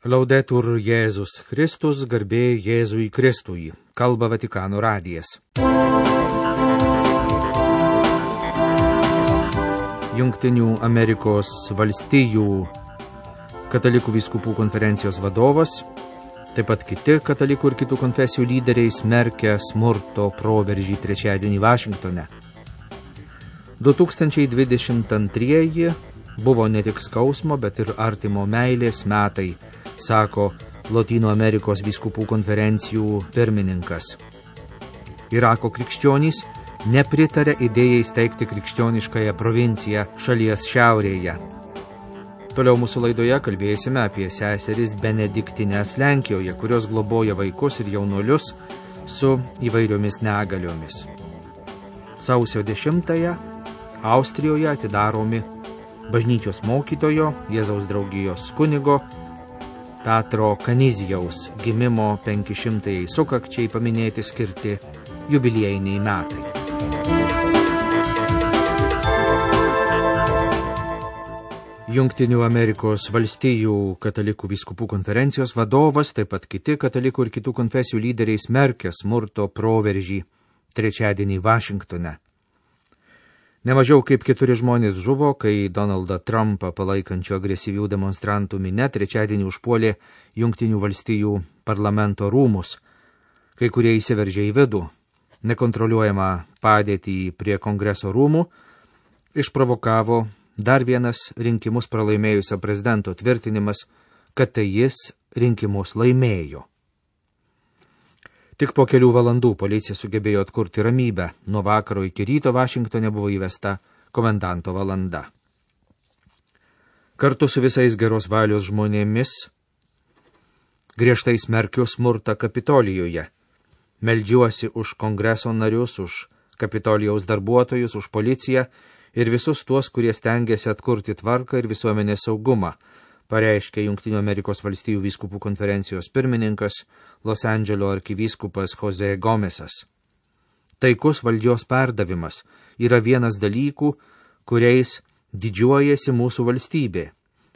Laudetur Jėzus Kristus, garbė Jėzui Kristui, kalba Vatikano radijas. Jungtinių Amerikos valstijų katalikų vyskupų konferencijos vadovas, taip pat kiti katalikų ir kitų konfesijų lyderiai smerkia smurto proveržį trečiadienį Vašingtone. 2022 buvo ne tik skausmo, bet ir artimo meilės metai, sako Lotynų Amerikos vyskupų konferencijų pirmininkas. Irako krikščionys nepritarė idėjai steigti krikščioniškąją provinciją šalies šiaurėje. Toliau mūsų laidoje kalbėsime apie seseris Benediktines Lenkijoje, kurios globoja vaikus ir jaunuolius su įvairiomis negaliomis. Sausio 10-ąją Austrijoje atidaromi bažnyčios mokytojo, Jėzaus draugijos kunigo Petro Kanizijaus gimimo 500-ąjai sukakčiai paminėti skirti jubiliejiniai metai. Jungtinių Amerikos valstijų katalikų vyskupų konferencijos vadovas, taip pat kiti katalikų ir kitų konfesijų lyderiai smerkia smurto proveržį trečiadienį Vašingtone. Nemažiau kaip 4 žmonės žuvo, kai Donaldą Trumpą palaikančių agresyvių demonstrantų minia trečiadienį užpuolė Jungtinių valstijų parlamento rūmus. Kai kurie įsiveržė į vidų. Nekontroliuojamą padėtį prie kongreso rūmų išprovokavo dar vienas rinkimus pralaimėjusio prezidento tvirtinimas, kad tai jis rinkimus laimėjo. Tik po kelių valandų policija sugebėjo atkurti ramybę. Nuo vakaro iki ryto Vašingtone buvo įvesta komendanto valanda. Kartu su visais geros valios žmonėmis griežtai smerkiu smurtą Kapitolijoje. Meldžiuosi už kongreso narius, už Kapitolijaus darbuotojus, už policiją ir visus tuos, kurie stengiasi atkurti tvarką ir visuomenės saugumą, pareiškė Jungtinių Amerikos valstijų vyskupų konferencijos pirmininkas Los Andželo arkivyskupas Jose Gomesas. Taikus valdžios perdavimas yra vienas dalykų, kuriais didžiuojasi mūsų valstybė.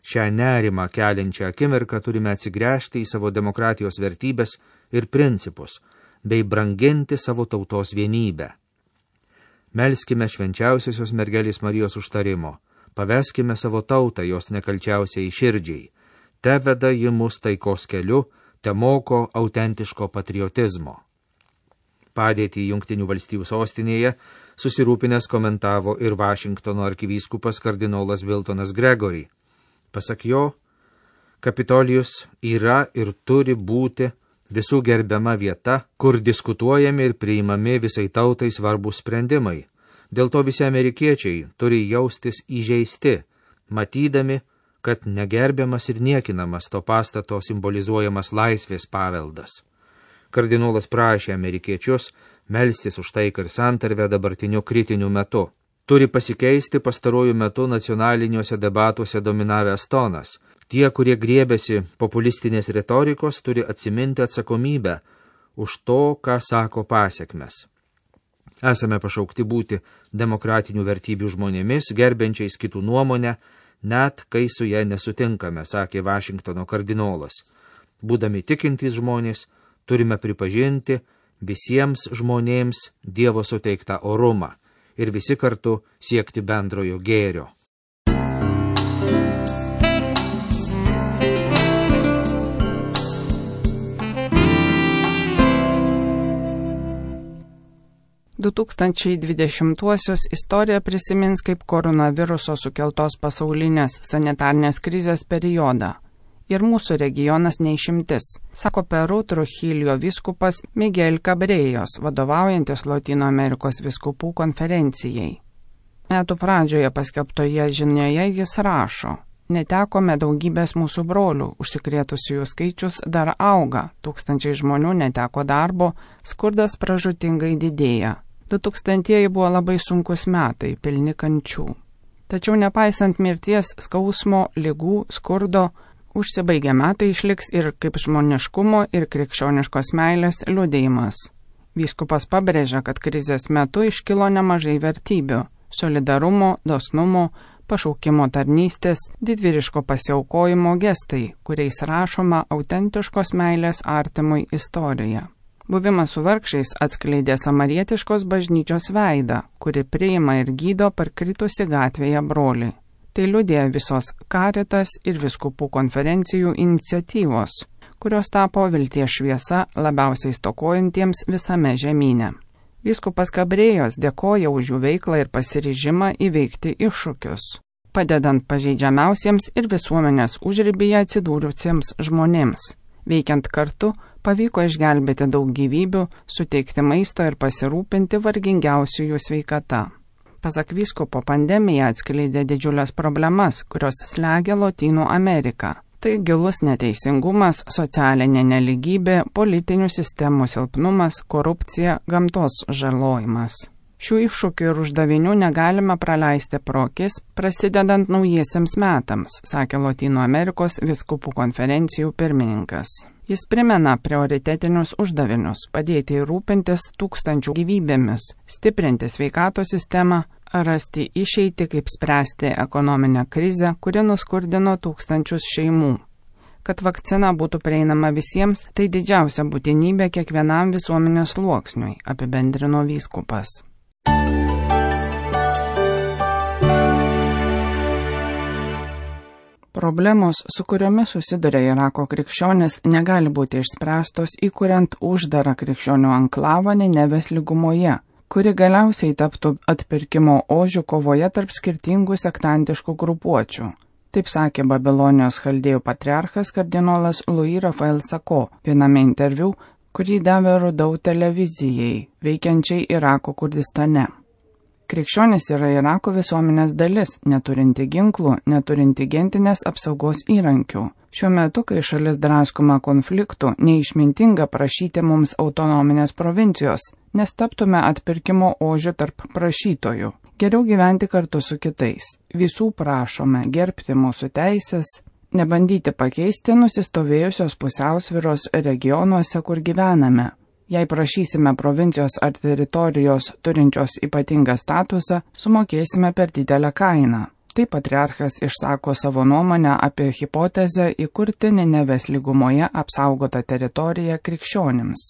Šią nerimą keliančią akimirką turime atsigręžti į savo demokratijos vertybės ir principus, bei branginti savo tautos vienybę. Melskime švenčiausiosios mergelės Marijos užtarimo. Paveskime savo tautą jos nekalčiausiai širdžiai. Te veda ji mus taikos keliu, te moko autentiško patriotizmo. Padėtį Jungtinių valstijų sostinėje susirūpinęs komentavo ir Vašingtono arkivyskupas kardinolas Wiltonas Gregory. Pasak jo, Kapitolijus yra ir turi būti visų gerbiama vieta, kur diskutuojami ir priimami visai tautai svarbus sprendimai. Dėl to visi amerikiečiai turi jaustis įžeisti, matydami, kad negerbiamas ir niekinamas to pastato simbolizuojamas laisvės paveldas. Kardinolas prašė amerikiečius melstis už taiką ir santarvę dabartiniu kritiniu metu. Turi pasikeisti pastarojų metų nacionaliniuose debatuose dominavęs tonas. Tie, kurie griebiasi populistinės retorikos, turi atsiminti atsakomybę už to, ką sako pasekmes. Esame pašaukti būti demokratinių vertybių žmonėmis, gerbiančiais kitų nuomonę, net kai su ja nesutinkame, sakė Vašingtono kardinolas. Būdami tikintys žmonės, turime pripažinti visiems žmonėms Dievo suteiktą orumą ir visi kartu siekti bendrojo gėrio. – 2020-uosius istorija prisimins kaip koronaviruso sukeltos pasaulinės sanitarnės krizės periodą. Ir mūsų regionas neišimtis, sako Peru Trujillo vyskupas Miguel Cabrejos, vadovaujantis Lotynų Amerikos vyskupų konferencijai. Metų pradžioje paskelbtoje žinioje jis rašo: netekome daugybės mūsų brolių, užsikrėtusiųjų skaičius dar auga, tūkstančiai žmonių neteko darbo, skurdas pražūtingai didėja. 2000-ieji buvo labai sunkus metai, pilni kančių. Tačiau nepaisant mirties, skausmo, ligų, skurdo, užsibaigę metai išliks ir kaip žmoniškumo ir krikščioniškos meilės liudijimas. Vyskupas pabrėžia, kad krizės metu iškilo nemažai vertybių – solidarumo, dosnumo, pašaukimo tarnystės, didvyriško pasiaukojimo gestai, kuriais rašoma autentiškos meilės artimui istorija. Buvimas su vargšiais atskleidė samarietiškos bažnyčios veidą, kuri priima ir gydo parkritusi gatvėje brolį. Tai liudija visos Caritas ir vyskupų konferencijų iniciatyvos, kurios tapo vilties šviesa labiausiai stokojantiems visame žemyne. Vyskupas Kabrėjos dėkoja už jų veiklą ir pasiryžimą įveikti iššūkius, padedant pažeidžiamiausiems ir visuomenės užribyje atsidūrusiems žmonėms. Veikiant kartu, pavyko išgelbėti daug gyvybių, suteikti maisto ir pasirūpinti vargingiausiųjų sveikata. Pasak vyskupo, pandemija atskleidė didžiulės problemas, kurios slegia Lotynų Ameriką. Tai gilus neteisingumas, socialinė neligybė, politinių sistemų silpnumas, korupcija, gamtos žalojimas. Šių iššūkių ir uždavinių negalime praleisti pro akis, prasidedant naujiesiems metams, sakė Lotynų Amerikos vyskupų konferencijų pirmininkas. Jis primena prioritetinius uždavinius – padėti ir rūpintis tūkstančių gyvybėmis, stiprinti sveikatos sistemą, rasti išeitį, kaip spręsti ekonominę krizę, kuri nuskurdino tūkstančius šeimų. Kad vakcina būtų prieinama visiems, tai didžiausia būtinybė kiekvienam visuomenės sluoksniui, apibendrino vyskupas. Problemos, su kuriomis susiduria Irako krikščionys, negali būti išspręstos įkuriant uždarą krikščionių anklavą Ninevės lygumoje, kuri galiausiai taptų atpirkimo ožių kovoje tarp skirtingų sektantiškų grupuočių. Taip sakė Babilonijos chaldėjų patriarchas kardinolas Louis Raphael Sako viename interviu, kurį davė Rudau televizijai, veikiančiai Irako Kurdistane. Krikščionys yra Irako visuomenės dalis, neturinti ginklų, neturinti gentinės apsaugos įrankių. Šiuo metu, kai šalis draskoma konfliktų, neišmintinga prašyti mums autonominės provincijos, nes taptume atpirkimo ožių tarp prašytojų. Geriau gyventi kartu su kitais. Visų prašome gerbti mūsų teisės, nebandyti pakeisti nusistovėjusios pusiausvyros regionuose, kur gyvename. Jei prašysime provincijos ar teritorijos turinčios ypatingą statusą, sumokėsime per didelę kainą. Taip patriarchas išsako savo nuomonę apie hipotezę įkurti Ninevės lygumoje apsaugotą teritoriją krikščionims.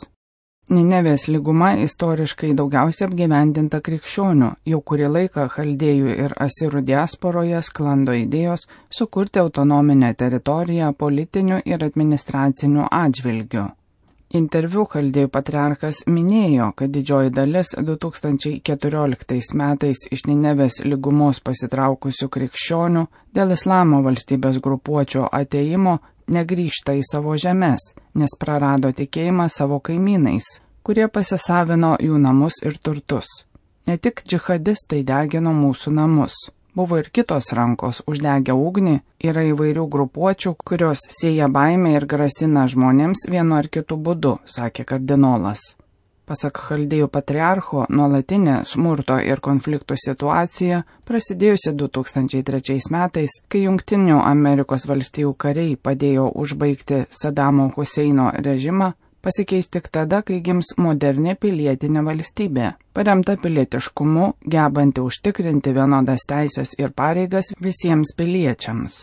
Ninevės lyguma istoriškai daugiausiai apgyvendinta krikščionių, jau kurį laiką chaldėjų ir asirų diasporoje sklando idėjos sukurti autonominę teritoriją politiniu ir administraciniu atžvilgiu. Interviu chaldėjų patriarchas minėjo, kad didžioji dalis 2014 metais iš Ninevės lygumos pasitraukusių krikščionių dėl islamo valstybės grupuočio atėjimo negrįžta į savo žemes, nes prarado tikėjimą savo kaimynais, kurie pasisavino jų namus ir turtus. Ne tik džihadistai degino mūsų namus. Buvo ir kitos rankos uždegę ugnį, yra įvairių grupuočių, kurios sėja baimę ir grasina žmonėms vienu ar kitu būdu, sakė kardinolas. Pasak chaldėjų patriarcho, nuolatinė smurto ir konfliktų situacija, prasidėjusi 2003 metais, kai Jungtinių Amerikos valstijų kariai padėjo užbaigti Sadamo Huseino režimą, pasikeis tik tada, kai gims moderni pilietinė valstybė, paremta pilietiškumu, gebanti užtikrinti vienodas teisės ir pareigas visiems piliečiams.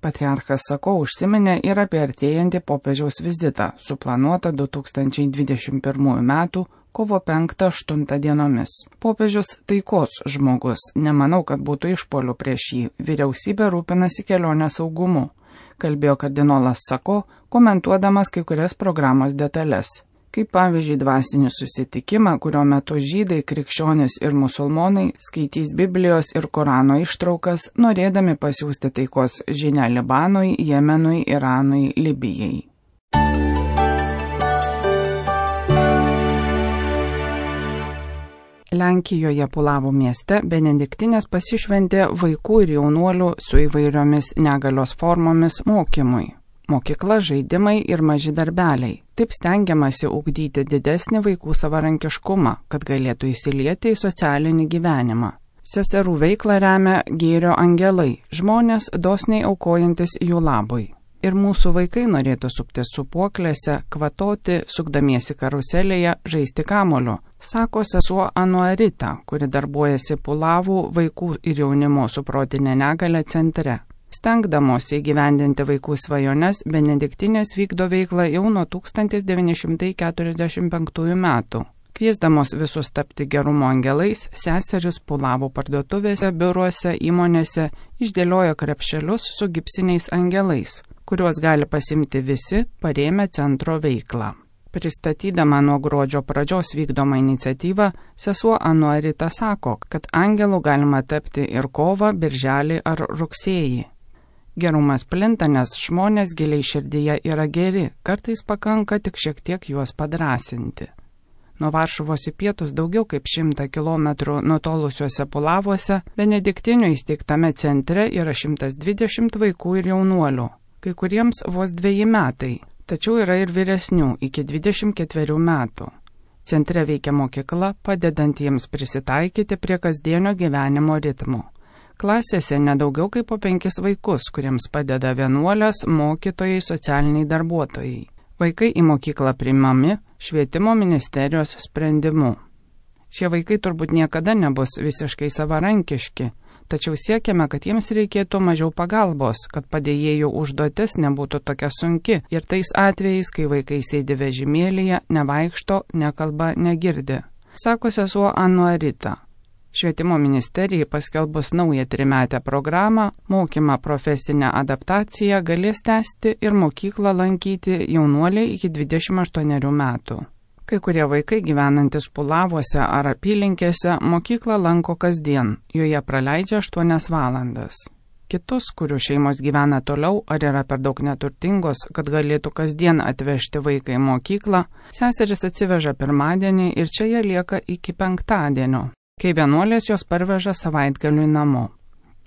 Patriarchas Sako užsiminė ir apie artėjantį popiežiaus vizitą, suplanuotą 2021 metų kovo 5-8 dienomis. Popiežius taikos žmogus, nemanau, kad būtų išpuolių prieš jį, vyriausybė rūpinasi kelionės saugumu, kalbėjo kardinolas Sako, komentuodamas kai kurias programos detalės. Kaip pavyzdžiui dvasinį susitikimą, kurio metu žydai, krikščionys ir musulmonai skaitys Biblijos ir Korano ištraukas, norėdami pasiųsti taikos žinią Libanui, Jemenui, Iranui, Libijai. Lenkijoje Pulavų mieste benediktinės pasišventė vaikų ir jaunuolių su įvairiomis negalios formomis mokymui. Mokykla, žaidimai ir maži darbeliai. Taip stengiamasi ugdyti didesnį vaikų savarankiškumą, kad galėtų įsilieti į socialinį gyvenimą. Seserų veiklą remia Gėrio angelai, žmonės dosniai aukojantis jų labui. Ir mūsų vaikai norėtų suptis supuoklėse, kvatoti, sukdamiesi karuselėje, žaisti kamoliu, sako sesuo Anuarita, kuri darbuojasi Pulavų vaikų ir jaunimo su protinė negalia centre. Stengdamosi įgyvendinti vaikų svajones, benediktinės vykdo veiklą jau nuo 1945 metų. Kviesdamos visus tapti gerumo angelais, seseris Pulavų parduotuvėse, biuruose, įmonėse išdėliojo krepšelius su gipsiniais angelais, kuriuos gali pasimti visi parėmę centro veiklą. Pristatydama nuo gruodžio pradžios vykdomą iniciatyvą, sesuo Anuarita sako, kad angelų galima tapti ir kovą, birželį ar rugsėjį. Gerumas plinta, nes žmonės giliai širdyje yra geri, kartais pakanka tik šiek tiek juos padrasinti. Nuo Varšuvos į pietus daugiau kaip 100 kilometrų nutolusiuose Pulavuose, benediktinių įsteigtame centre yra 120 vaikų ir jaunuolių, kai kuriems vos 2 metai, tačiau yra ir vyresnių iki 24 metų. Centre veikia mokykla, padedant jiems prisitaikyti prie kasdienio gyvenimo ritmo. Klasėse nedaugiau kaip po 5 vaikus, kuriems padeda vienuolės, mokytojai, socialiniai darbuotojai. Vaikai į mokyklą priimami švietimo ministerijos sprendimu. Šie vaikai turbūt niekada nebus visiškai savarankiški, tačiau siekiame, kad jiems reikėtų mažiau pagalbos, kad padėjėjų užduotis nebūtų tokia sunki ir tais atvejais, kai vaikai sėdi vežimėlyje, nevaikšto, nekalba, negirdi. Sako sesuo Anuarita. Švietimo ministerijai paskelbus naują 3-metę programą, mokymą profesinę adaptaciją galės tęsti ir mokyklą lankyti jaunuoliai iki 28 metų. Kai kurie vaikai gyvenantis Pulavuose ar apylinkėse mokyklą lanko kasdien, joje praleidžia 8 valandas. Kitus, kurių šeimos gyvena toliau ar yra per daug neturtingos, kad galėtų kasdien atvežti vaiką į mokyklą, seseris atsiveža pirmadienį ir čia jie lieka iki penktadienio, kai vienuolės jos parveža savaitgaliui namo.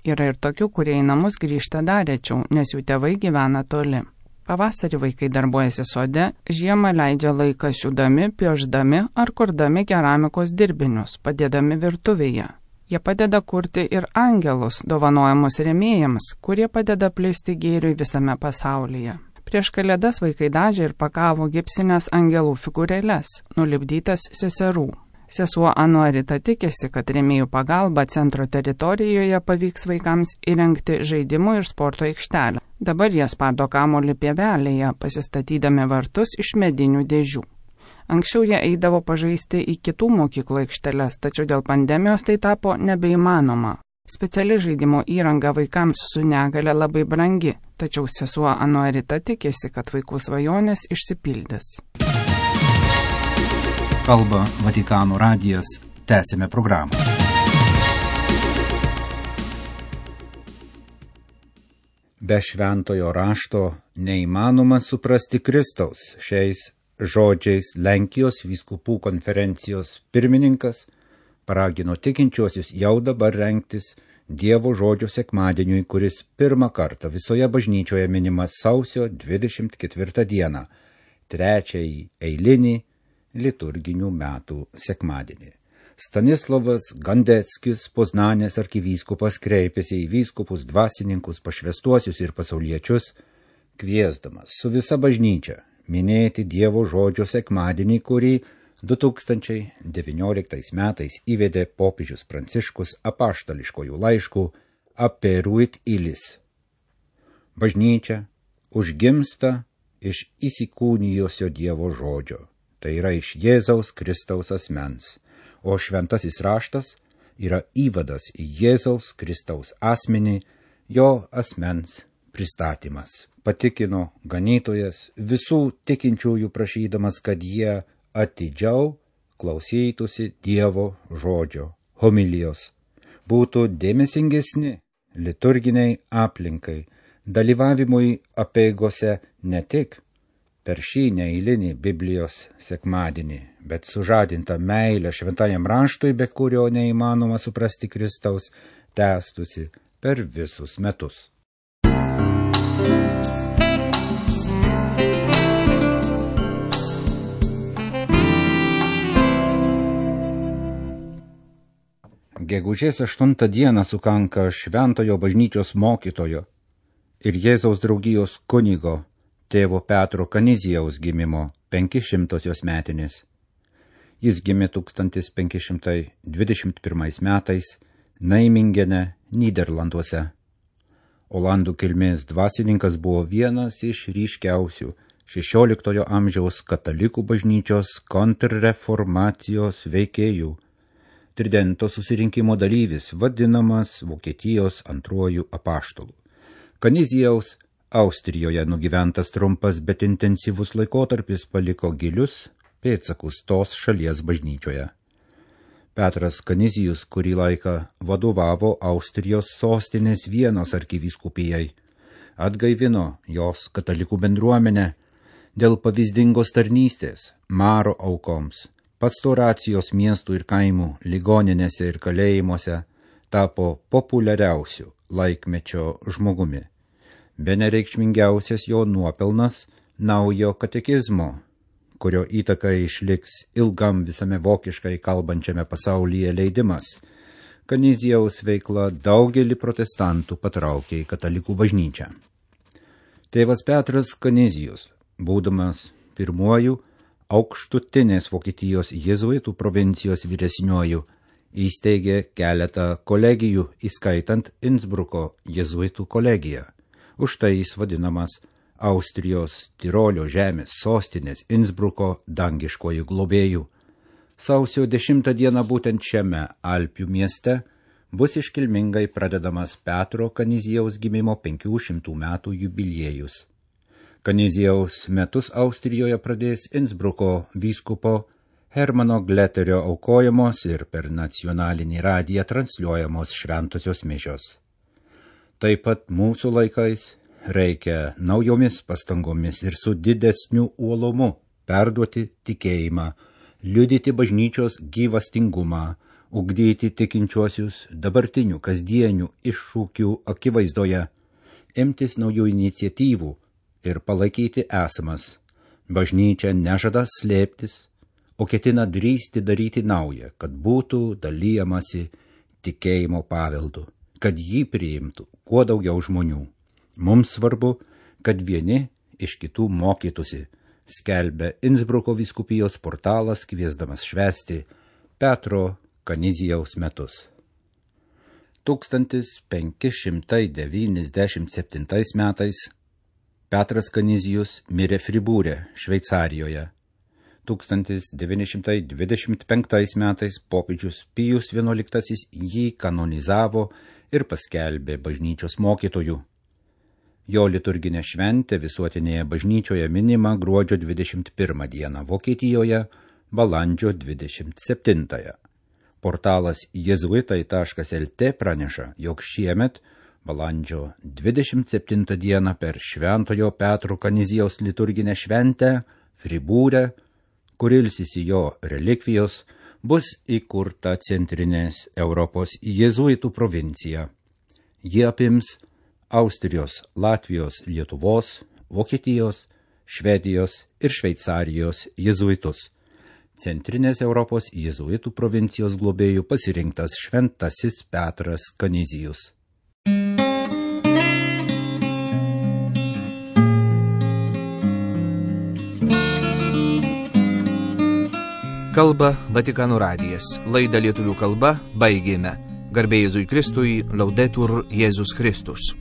Yra ir tokių, kurie į namus grįžta dar rečiau, nes jų tėvai gyvena toli. Pavasarį vaikai darbuojasi sode, žiemą leidžia laiką siūdami, piošdami ar kurdami keramikos dirbinius, padėdami virtuvėje. Jie padeda kurti ir angelus, dovanojamus rėmėjams, kurie padeda plisti gėriui visame pasaulyje. Prieš Kalėdas vaikai dažė ir pakavo gipsinės angelų figūrėles, nulipdytas seserų. Sesuo Anuarita tikisi, kad rėmėjų pagalba centro teritorijoje pavyks vaikams įrengti žaidimų ir sporto aikštelę. Dabar jie spardo kamuolį pievelėje, pasistatydami vartus iš medinių dėžių. Anksčiau jie eidavo pažaisti į kitų mokyklų aikšteles, tačiau dėl pandemijos tai tapo nebeįmanoma. Speciali žaidimo įranga vaikams su negale labai brangi, tačiau sesuo Anuarita tikisi, kad vaikų svajonės išsipildys. Kalba Vatikano radijas, tęsime programą. Be šventojo rašto neįmanoma suprasti Kristaus. Šiais žodžiais Lenkijos vyskupų konferencijos pirmininkas paragino tikinčiuosius jau dabar rengtis Dievo žodžio sekmadieniui, kuris pirmą kartą visoje bažnyčioje minimas sausio 24 dieną, trečiąjį eilinį liturginių metų sekmadienį. Stanislavas Gandeckis, Poznanės arkivyskupas, kreipėsi į vyskupus, dvasininkus, pašvęstuosius ir pasauliečius, kviesdamas su visa bažnyčia minėti Dievo žodžio sekmadienį, kurį 2019 metais įvedė popiežius Pranciškus apaštališkojų laiškų Aperuit Ilis. Bažnyčia užgimsta iš įsikūnijusio Dievo žodžio. Tai yra iš Jėzaus Kristaus asmens, o šventasis raštas yra įvadas į Jėzaus Kristaus asmenį, jo asmens pristatymas. Patikino ganytojas visų tikinčiųjų prašydamas, kad jie atidžiau klausytųsi Dievo žodžio, homilijos, būtų dėmesingesni liturginiai aplinkai, dalyvavimui apeigose ne tik per šį neeilinį Biblijos sekmadienį, bet sužadinta meilė šventajam raštui, be kurio neįmanoma suprasti Kristaus, tęstusi per visus metus. Gegužės 8 dieną sukanka šventojo bažnyčios mokytojo ir Jėzaus draugijos kunigo tėvo Petro Kanizijaus gimimo 500 metinės. Jis gimė 1521 metais Naimingene, Nyderlanduose. Olandų kilmės dvasininkas buvo vienas iš ryškiausių 16 amžiaus katalikų bažnyčios kontrreformacijos veikėjų. Tridento susirinkimo dalyvis, vadinamas Vokietijos antruoju apaštalu. Kanizijaus Austrijoje nugyventas trumpas, bet intensyvus laikotarpis paliko gilius pėdsakus tos šalies bažnyčioje. Petras Kanizijus kurį laiką vadovavo Austrijos sostinės Vienos arkivyskupijai, atgaivino jos katalikų bendruomenę dėl pavyzdingos tarnystės, maro aukoms, pastoracijos miestų ir kaimų, ligoninėse ir kalėjimuose, tapo populiariausiu laikmečio žmogumi. Bene reikšmingiausias jo nuopelnas naujo katekizmo, kurio įtaka išliks ilgam visame vokiškai kalbančiame pasaulyje leidimas. Kanizijaus veikla daugelį protestantų patraukė į katalikų bažnyčią. Tėvas Petras Kanizijus, būdamas pirmuoju aukštutinės Vokietijos jėzuitų provincijos vyresniuoju, įsteigė keletą kolegijų, įskaitant Innsbruko jėzuitų kolegiją. Už tai jis vadinamas Austrijos Tirolio žemės sostinės Innsbruko dangiškojų globėjų. Sausio 10 dieną būtent šiame Alpių mieste bus iškilmingai pradedamas Petro Kanizijaus gimimo 500 metų jubiliejus. Kanizijaus metus Austrijoje pradės Innsbruko vyskupo Hermano Gleterio aukojamos ir per nacionalinį radiją transliuojamos šventosios mišios. Taip pat mūsų laikais reikia naujomis pastangomis ir su didesniu uolumu perduoti tikėjimą, liudyti bažnyčios gyvastingumą, ugdyti tikinčiuosius dabartinių kasdienių iššūkių akivaizdoje, imtis naujų iniciatyvų ir palaikyti esamas. Bažnyčia nežada slėptis, o ketina drįsti daryti naują, kad būtų dalyjamasi tikėjimo paveldu, kad jį priimtų kuo daugiau žmonių. Mums svarbu, kad vieni iš kitų mokytųsi, skelbia Innsbruko vyskupijos portalas, kviesdamas švęsti Petro Kanizijaus metus. 1597 metais Petras Kanizijus mirė Fribūre, Šveicarijoje. 1925 metais popiežius Pijus XI jį kanonizavo ir paskelbė bažnyčios mokytoju. Jo liturginė šventė visuotinėje bažnyčioje minima gruodžio 21 dieną, Vokietijoje balandžio 27. Portalas jezuitai.lt praneša, jog šiemet balandžio 27 dieną per Šventojo Petro Kanizijaus liturginę šventę Fribūre, kur ilsisi jo relikvijos, bus įkurta Centrinės Europos jėzuitų provincija. Jie apims Austrijos, Latvijos, Lietuvos, Vokietijos, Švedijos ir Šveicarijos jėzuitus. Centrinės Europos jėzuitų provincijos globėjų pasirinktas šventasis Petras Kanizijus. Kalba Vatikano radijas. Laidą lietuvių kalba baigėme. Garbė Jėzui Kristui, Laudetur Jėzus Kristus.